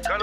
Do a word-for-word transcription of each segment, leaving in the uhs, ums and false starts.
Fof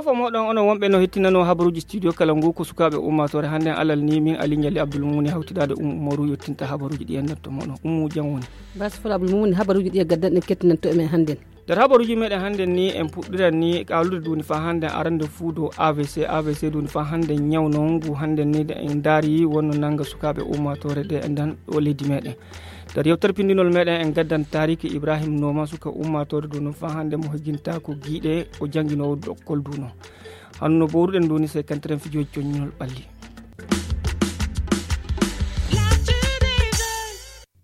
e mooɗon, onon wonɓe no hettinanoo habaruuji studio kala ngu, ko sukaaɓe ummaatoore hannden alal ni, min Ali Ɲalli Abdul Mumuni hawtidaade Ummu Umaru yottinta habaruuji ɗi en natto mooɗon. Ummu, jam woni? Basi fula Abdul Mumuni, habaruuji ɗi e gaddan ɗen kettinanto e men hannden. Nder habaruuji meɗen hannden ni, en puɗɗiran ni kaalude duuni faa hannden arande fuu dow A V C. A V C duuni faa hannden ɲaw non ngu hannden ni, nde en ndaari wonno nannga sukaaɓe ummaatoore nde e nden ɗo leydi meɗen. Nder yewtere pinndinol meɗen, en gaddan taariiki Ibrahim Nooma, suka ummaatoore duuni faa hannden mo hejjinta ko giiɗe, o jannginoowo dokkol duuno. Hano no bowruɗen duuni, sey kantiren fijooji coññinol ɓalli.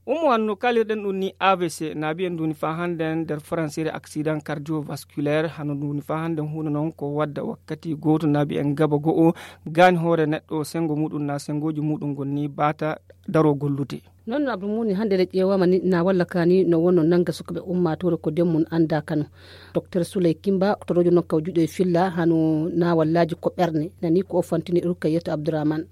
Ummu, hano no kaalirɗen ɗum ni, A V C naabi en duuni faa hannden nder faransiire accident cardiovasculaire. Hano duuni faa hannden huunde non ko wadda wakkati gooto naabi en gaba go'o, gaani hoore neɗɗo, senngo muuɗum na senngooji muuɗum ngon ni baata daroo gollude. Non no Abdul Mumuni, hannde nde ƴeewaama ni, na walla kaani no wonno nannga sukaaɓe ummaatoore ko ndeen mum anndaa kano. Doktor Suley Kimba, ko toroojo non kaw juuɗe e filla hano naawallaaji ko ɓerne, nani ko o fantini Rukayyatu Abdurahman.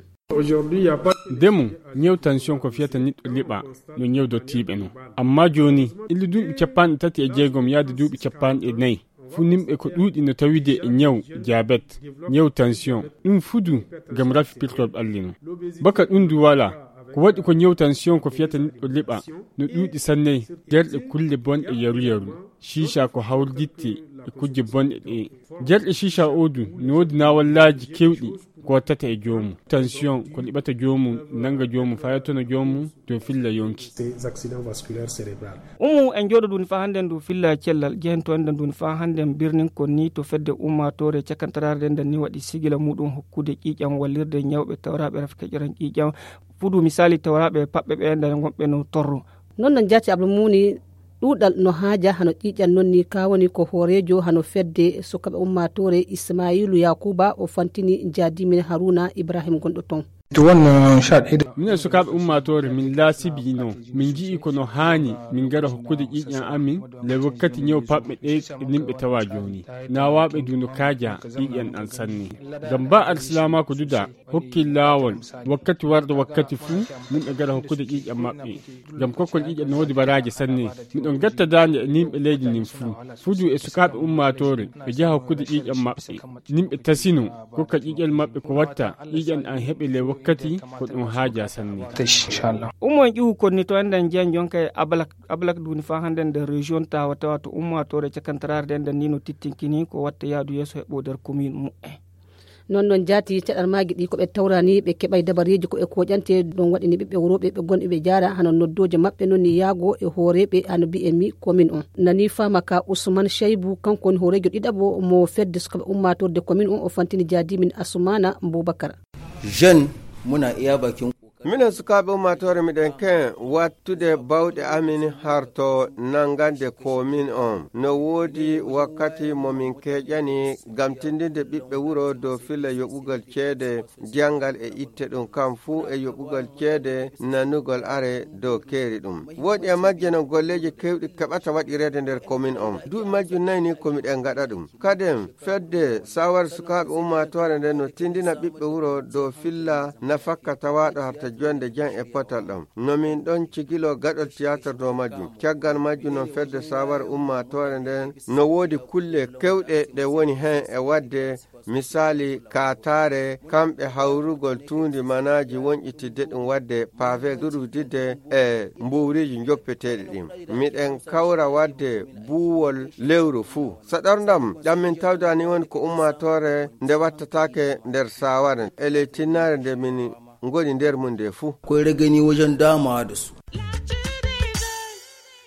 Ndemu, ɲew tansiyon ko fiyata niɗɗo liɓa no ɲew dottiiɓe non. Amma jooni, illa duuɓi cappanɗe tati e jeegom yaade duuɓi cappanɗe nayi, fuu nimɓe ko ɗuuɗi no tawide e ɲew diabet, ɲew tansiyon, ɗum fuu du ngam rafi pirtol ɓalli non. Baka ɗum du walaa, ko waɗi ko ɲew tansiyon ko fiyata niɗɗo liɓa no ɗuuɗi sanne, nder ɗe kulle bonɗe yaru yaru. Ciica ko hawrditte e kujje bonɗe ɗe. Nder ɗe ciica o du no woodi naawallaaji keewɗi ko wattata e joomum. Tansiyon ko liɓata joomum, nannga joomum, faa yettono joomum dow filla yonki. Ces accidents vasculaires cérébrales. Ummu, en njooɗo duuni faa hannden dow filla cellal, jehen to enɗen duuni faa hannden birnin kon ni to fedde ummaatoore cakantaraare nden, nden ni waɗi sigila muuɗum hokkude ƴiiƴam wallirde ɲawɓe tawraaɓe rafi keƴoran ƴiiƴam. Fuu du misaali tawraaɓe paɓɓe ɓe nden wonɓe no torro. Non no njaati Abdul Mumuni, ɗuuɗal no haaja hano ƴiiƴam non ni, ka woni ko hooreejo hano fedde sukaaɓe ummaatoore Ismaayiilu Yaakuuba, o fantini njaadiimin Haruuna Ibrahim gonɗo ton. Minen sukaaɓe ummaatoore min laasibi non, min nji'i ko no haani min ngara hokkude ƴiiƴam amin le wakkati ɲew paɓɓe ɗe e nimɓe tawa jooni. Naawaaɓe du no kaaja ƴiiƴam ɗam sanne. Ngam ba alsilaamaaku duda hokki laawol wakkati warde wakkati fuu, nimɓe ngara hokkude ƴiiƴam maɓɓe. Ngam kokkol ƴiiƴam no woodi baraaji sanne. Miɗon gatta daande e nimɓe leydi ndin fuu. Fuu du e sukaaɓe ummaatoore, ɓe njaha hokkude ƴiiƴam maɓɓe. Nimɓe tasino, kokka ƴiiƴam maɓɓe ko watta, ƴiiƴam an heɓe le wakkati ko ɗum haaja sanne. Ummo en ƴuwu kon ni to enɗen njiyan jonka e Abalak. Abalak duuni faa hannden nder région Tawa Tawa to ummaatoore cakantaraare nden, nden ni no tittinkini ko watta yaadu yeeso heɓo nder commune mu'en. Non non jaati caɗal maagi ɗi ko ɓe tawrani ɓe keɓay dabareeji ko e koƴante ɗon waɗini ɓiɓɓe worooɓe ɓe gonɓe ɓe jaara hano noddooje maɓɓe non ni yaago e hooreeɓe hano mbi'en mi commune on. Nani faama ka Ousmane Cheibou, kanko woni hooreejo ɗiɗaɓo mo fedde sukaaɓe ummaatorde commune on, o fantini jaadimin Assoumana Boubacar. Jeune, muna iya bakin. Minen sukaaɓe ummaatoore miɗen ken wattude bawɗe amin harto nanngande komin on. No woodi wakkati mo min keeƴani ngam tindinde ɓiɓɓe wuro dow filla yoɓugol ceede janngal e itte ɗum kam fuu e yoɓugol ceede nanugol are dow keeri ɗum. Woodi e majje non golleeji keewɗi keɓata waɗireede nder komin on. Duuɓi majjum nayi ni ko miɗen ngaɗa ɗum. Kaden, fedde sawar sukaaɓe ummaatoore nden no tindina ɓiɓɓe wuro dow filla nafakka tawaaɗo harta jonde jam e potal ɗam. No min ɗon cigilo gaɗol tiyaatar dow majjum. Caggal majjum non fedde sawar ummaatoore nden no woodi kulle kewɗe ɗe woni hen e wadde, misaali, kaataare, kamɓe hawrugol tuundi manaaji wonƴitidde ɗum wadde pavé durwididde e mbuwriiji njoppeteeɗi ɗin. Miɗen kawra wadde buuwol lewru fuu. Saɗorndam ɗam min tawda ni woni ko ummaatoore nde wattataake nder saaware e ley tinnaare nde min ngoni nder mum nde fuu. Koy regani wajen dama da su.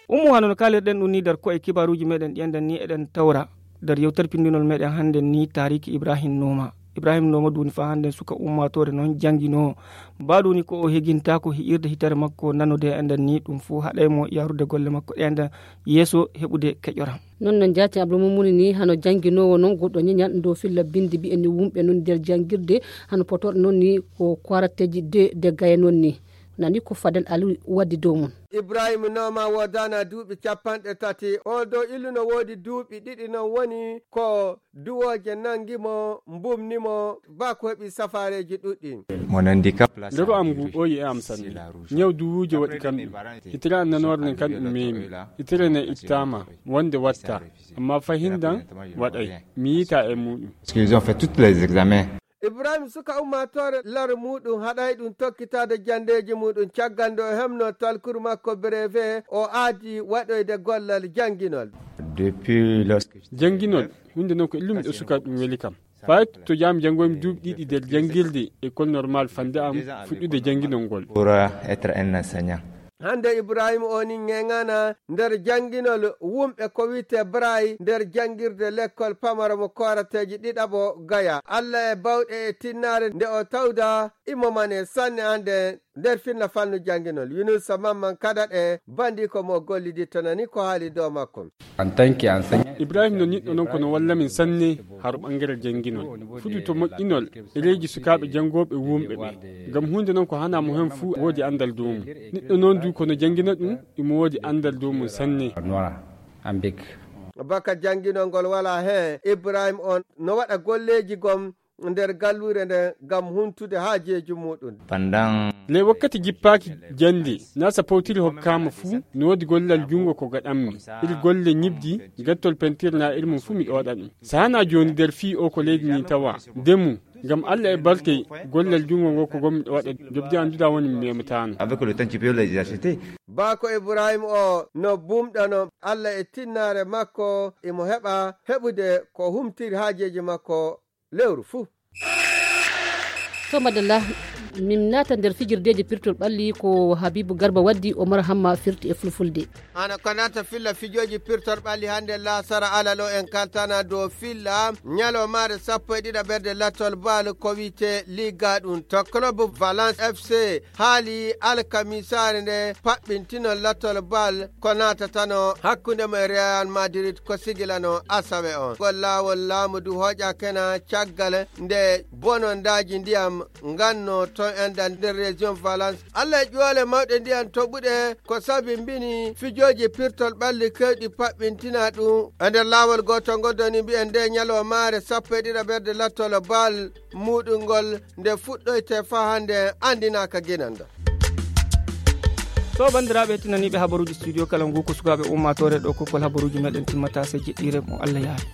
Ummu, hano no kaalirɗen ɗum ni nder ko'e kibaaruuji meɗen ɗi enɗen ni eɗen tawra nder yewtere pinndinol meɗen hannden ni taariiki Ibrahim Nooma. Ibrahim Nooma duuni faa hannden suka ummaatoore non jannginoowo. Ba duuni ko o heginta ko hi'irde hitere makko nanode enɗen ni ɗum fuu haɗay mo yarude golle makko ɗe enɗen yeeso heɓude keƴoram. Non non jaati Abdul Mumuni ni hano jannginoowo non goɗɗo ɲeɲal dow filla binndi mbi'en ni wumɓe non nder janngirde hano potooɗo non ni ko kwarateji de de gaya non ni. Nani ko Fadel Aliou waddi dow mum. Ibrahim Nooma woodaana duuɓi capanɗe tati. Oo ɗoo illu no woodi duuɓi ɗiɗi, noon woni ko duwooje nanngi mo, mbumni mo, baa ko heɓi safaareeji ɗuɗɗi. Mon handicap la. Ndero am ngu ɓooyi e am sanne. Ñaw duwuuje waɗi kam ɗum. Itere am nanoore nden kam ɗum meemi. Itere ne ittaama wonde watta. Amma fahindan waɗay. Mi yiita e muɗum. Parce qu'ils ont fait tous les examens. Ibrahim suka ummaatoore laro muɗum haɗay ɗum tokkitaade janndeeji muɗum caggal nde o hemno talkuru makko brevet o aadi waɗoyde gollal jannginol. Depuis lorsque. Jannginol, huunde noon ko illumi ɗo suka ɗum weli kam. Fayto jaami janngoymi duuɓi ɗiɗi nder janngirde école normal fande am fuɗɗude jannginol ngol. Pour euh, être un enseignant. Hannde Ibrahima o ni ŋeŋana nder jannginol wumɓe ko wiyte Braille nder janngirde lekkol pamaro mo koorateeji ɗiɗaɓo Gaya. Alla e bawɗe e tinnaare nde o tawda imo mane sanne hannde nder finna fannu jannginol. Yunusa Mamman Kadaɗe bandi ko mo gollidi tonani ko haali dow makko. En tant qu'enseignant. Ibrahim no niɗɗo noon kono walla min sanne haro ɓangere jannginol. Fuɗɗu to moƴƴinol ɗereeji sukaaɓe janngooɓe wumɓe ɓe. Ngam huunde noon ko hana mo heen fuu woodi anndal dow mum. Niɗɗo noon du kono janngina ɗum imo woodi anndal dow mum sanne. Baka jannginol ngol wala heen, Ibrahim on no waɗa golleeji gom nder galluure nde ngam huntude haajeeji muɗum. Pandan. Le wakkati jippaaki jannde, na sa powtiri hokkaama fuu, no woodi gollal junngo ko gaɗanmi. Iri golle ñibdi, gattol pentir na iri mum fuu mi ɗooɗa ɗum. Sa hana jooni nder fii o ko leydi ni tawa, ndemu, ngam Alla e barke gollal junngo ngo ko gommi ɗo waɗa jobdi annduɗa woni mi memataano. Avec le temps, tu peux les acheter. Baako Ibrahim o no bumɗano Alla e tinnaare makko, imo heɓa heɓude ko humtiri haajeeji makko lewru fuu. To madalla, min naata nder fijirdeeji pirtol ɓalli ko Habibu Garba waddi, Omar Hamma firti e fulfulde. Hana ko naata filla fijooji pirtol ɓalli hannde laasara alal o en kaltana dow filla ñalawmaare sappo e ɗiɗa ɓerde lattol bal ko wiyte Liga ɗum to club Valence F C haali alkamisaare nde paɓɓintinol lattol bal ko naatatano hakkunde mo e Real Madrid ko sigilano asawe on. Ngol laawol laamu du hooƴakena caggal nde bonondaaji ndiyam nganno ton enda nder région Valence. Alla e ƴuwale mawɗe ndiyan toɓuɗe ko sabi mbini fijooji pirtol ɓalli kewɗi paɓɓintina ɗum. E nder laawol gooto ngol doni mbiyen nde ñalawmaare sappo e ɗiɗa ɓerde lattol bal muɗum ngol nde fuɗɗoyte faa hannde anndinaaka ginanda. To banndiraaɓe heɗtinaniiɓe habaruuji studio kala ngu ko sukaaɓe ummaatoore ɗo kokkol habaruuji meɗen timmata sey jeɗɗiire mo Alla yaari.